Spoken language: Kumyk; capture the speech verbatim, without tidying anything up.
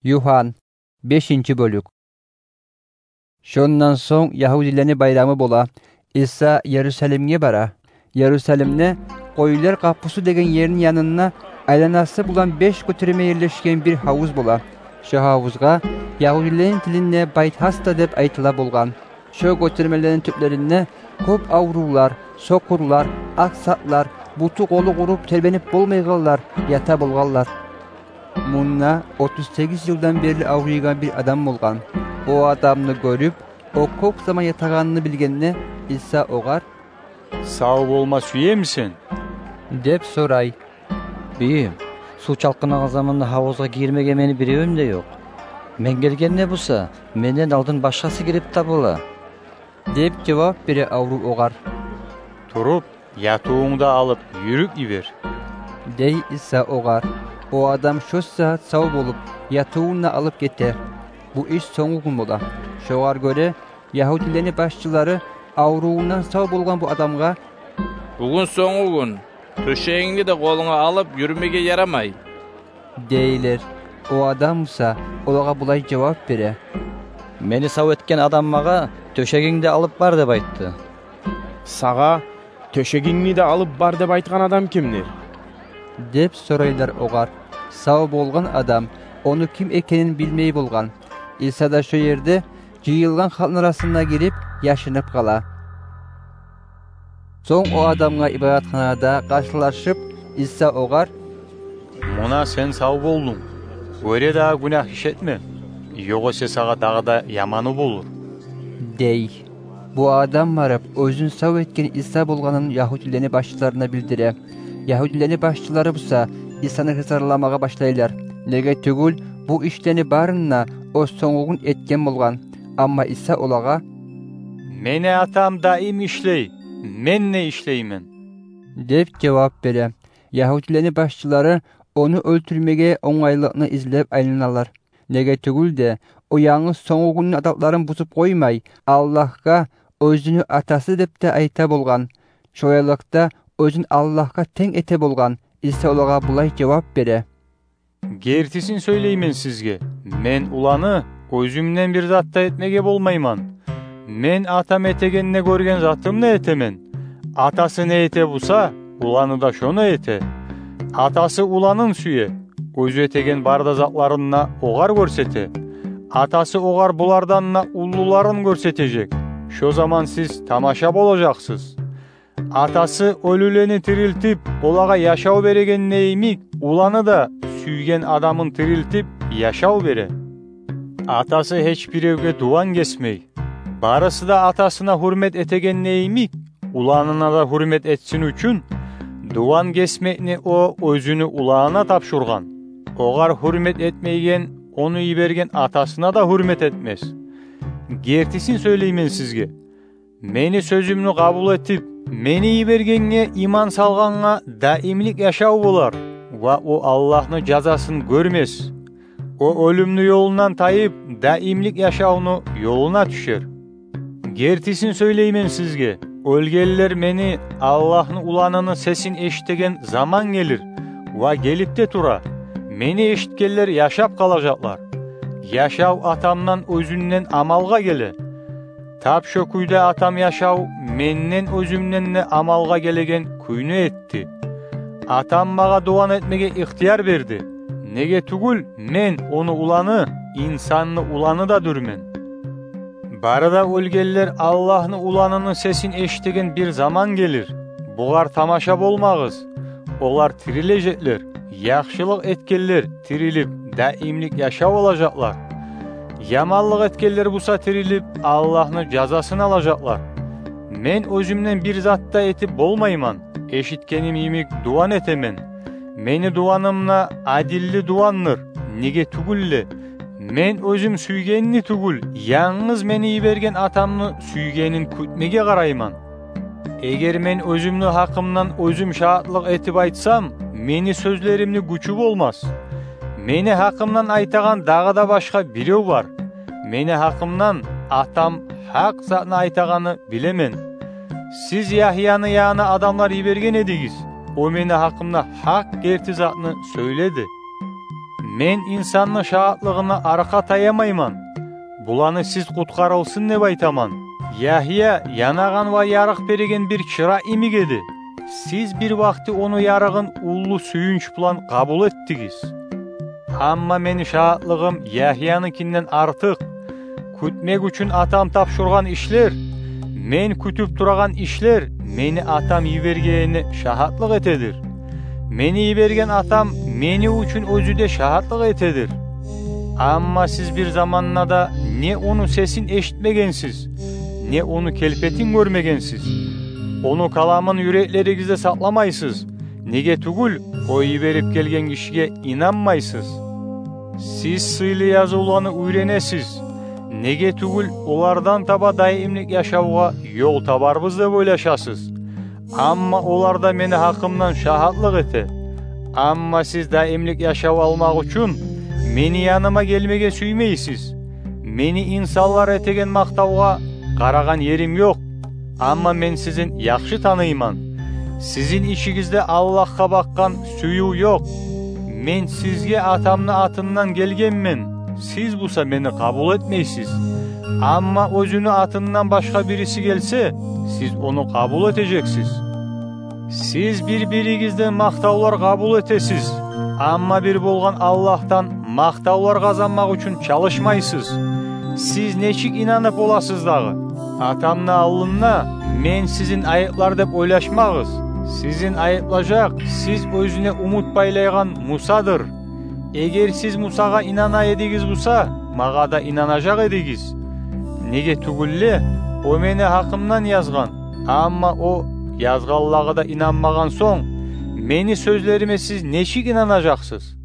Юхан, бешинчи бёлюк. Шондан сонг ягьудилени байрамы бола. Иса Ярусалимге бара. Ярусалимде Къоюлар къапусу деген ерни янында айланасы булан беш гётерме ерлешген бир гьавуз бола. Шо гьавузгъа ягьудилени тилинде Байтгьасда деп айтыла болгъан. Шо гётермелени тюплеринде кёп аврувлар, сокъурлар, аксакълар, буту-къолу къуруп тербенип болмайгъанлар ята болгъанлар. Мунда отуз сегиз йылдан берли аврийгъан бир адам болгъан. О адамны гёрюп, о кёп заман ятагъанны билгенде, Иса огъар: «Сав болма сюемисен?» – деп сорай. «Бийим, сув чалкъынагъан заманда гьавузгъа гирмеге мени биревюм де ёкъ. Мен гелгенде буса, менден алдын башгъасы гирип де бола», – деп жавап бере аврув огъар. «Туруп, ятывунгну да алып, юрюп йибер», – дей Иса огъар. О адам шо сагьат сав болуп, ятывун да алып гете. Бу иш сонгугюн бола. Шогъар гёре ягьудилени башчылары аврувундан сав болгъан бу адамгъа: «Бугюн сонгугюн, тёшегингни де къолунга алып юрюмеге ярамай», – дейлер. О адам буса олагъа булай жавап бере: «Мени сав этген адам магъа: „Тёшегингни алып бар“, – деп айтды». «Сагъа: „Тёшегингни де алып бар“, – деп айтгъан адам кимдир?» – деп сорайлар огъар. Сав болгъан адам ону ким экенин билмей болгъан. Иса да шо ерде жыйылгъан халкъны арасына гирип, яшынып къала. Сонг о адамгъа ибадатханада къаршылашып, Иса огъар: «Муна сен сав болдунг. Оьре дагъы гюнагь иш этме, ёгъесе сагъа дагъы да яманы болур», – дей. Бу адам барып, оьзюн сав этген Иса болгъанын ягьудилени башчыларына билдире. Ягьудилени башчылары буса Исаны гьызарламагъа башлайлар. Неге тюгюл, бу ишлени барын да о сонгугюн этген болгъан. Амма Иса олагъа: «Мени Атам даим ишлей, мен де ишлеймен», – деп жавап бере. Ягьудилени башчылары ону оьлтюрмеге онгайлыкъны излеп айланалар. Неге тюгюл де, о янгыз сонгугюнню адатларын бузуп къоймай, Аллагьгъа оьзюню Атасы деп де айта болгъан. Шолайлыкъда, оьзюн Аллагьгъа тенг эте болгъан. Иса олагъа булай жавап бере: «Гертисин сёйлеймен сизге: мен уланы оьзюмден бир зат да этмеге болмайман. Мен Атам этегенни гёрген затымны этемен. Атасы не эте буса, уланы да шону эте. Атасы уланын сюе, оьзю этеген бары да затларын да огъар гёрсете. Атасы огъар булардан да уллуларын гёрсетежек. Шо заман сиз тамаша болажакъсыз. Атасы оьлюлени тирилтип, олагъа яшав берегенде йимик, уланы да сюйген адамын тирилтип, яшав бере. Атасы гьеч биревге дуван гесмей. Барысы да атасына гьюрмет этегенде йимик, уланына да гьюрмет этсин учун, дуван гесмекни о оьзюню уланына тапшургъан. Огъар гьюрмет этмейген ону йиберген атасына да гьюрмет этмес. Гертисин сёйлеймен сизге: мени сёзюмню къабул этип, мени йибергенге иман салгъангъа даимлик яшав болар, ва о Аллагьны жазасын гёрмес. О оьлюмню ёлундан тайып, даимлик яшавну ёлуна тюшер. Гертисин сёйлеймен сизге: оьлгенлер мени, Аллагьны Уланыны сесин эшитеген заман гелир, ва гелип де тура. Мени эшитгенлер яшап къалажакълар. Яшав Атамдан оьзюнден амалгъа геле. Тап шо кюйде Атам яшав менден оьзюмден де амалгъа гелеген кюйню этди. Атам магъа дуван этмеге ихтияр берди. Неге тюгюл, мен ону Уланы, инсанны Уланы да дюрмен. Бары да оьлгенлер Аллагьны Уланыны сесин эшитеген бир заман гелир. Бугъар тамаша болмагъыз. Олар тирилежеклер. Яхшылыкъ этгенлер тирилип, даимлик яшав алажакълар. Яманлыкъ этгенлер буса тирилип, Аллагьны жазасын алажакълар. Мен оьзюмден бир зат да этип болмайман. Эшитгеним йимик дуван этемен. Мени дуваным да адилли дувандыр. Неге тюгюл де, мен оьзюм сюйгенни тюгюл, янгыз мени йиберген Атамны сюйгенин кютмеге къарайман. Эгер мен оьзюмню гьакъымдан оьзюм шагьатлыкъ этип айтсам, мени сёзлеримни гючю болмас. Мени гьакъымдан айтагъан дагъы да башгъа бирев бар. Мени гьакъымдан Атам гьакъ затны айтагъанны билемен. Сиз Ягьяны янына адамлар йиберген эдигиз. О мени гьакъымда гьакъ герти затны сёйледи. Мен инсанны шагьатлыгъына аркъа таямайман. Буланы сиз къутгъарылсын деп айтаман. Ягьия янагъан ва ярыкъ береген бир чыра йимик эди. Сиз бир вакъти ону ярыгъын уллу сююнч булан къабул этдигиз. Амма мени шагьатлыгъым Ягьияныкинден артыкъ. Кютмек учун Атам тапшургъан ишлер, мен кютюп турагъан ишлер мени Атам йибергенине шагьатлыкъ этедир. Мени йиберген Атам мени учун оьзю де шагьатлыкъ этедир. Амма сиз бир заманда да не ону сесин эшитмегенсиз, не ону келпетин гёрмегенсиз. Ону каламын юреклеригизде сакъламайсыз, неге тюгюл о йиберип гелген гишиге инанмайсыз. Сиз сыйлы язывланы уьйренесиз, неге тюгюл олардан таба даимлик яшавгъа ёл табарбыз деп ойлашасыз. Амма олар да мени гьакъымдан шагьатлыкъ эте. Амма сиз даимлик яшав алмакъ учун мени яныма гелмеге сюймейсиз. Мени инсанлар этеген макътавгъа къарагъан ерим ёкъ. Амма мен сизин яхшы таныйман. Сизин ичигизде Аллагьгъа бакъгъан сююв ёкъ. Мен сизге Атамны атындан гелгенмен, сиз буса мени къабул этмейсиз. Амма оьзюню атындан башгъа бириси гелсе, сиз ону къабул этежексиз. Сиз бир-биригизден макътавлар къабул этесиз, амма бир болгъан Аллагьдан макътавлар къазанмакъ учун чалышмайсыз. Сиз нечик инанып боласыз дагъы? Атамны алдында мен сизин айыплар деп ойлашмагъыз. Сизин айыплажакъ сиз оьзюне умут байлайгъан Мусадыр. Эгер сиз Мусагъа инана эдигиз буса, магъа да инанажакъ эдигиз. Неге тюгюл де о мени гьакъымдан язгъан. Амма о язгъанлагъа да инанмагъан сонг, мени сёзлериме сиз нечик инанажакъсыз?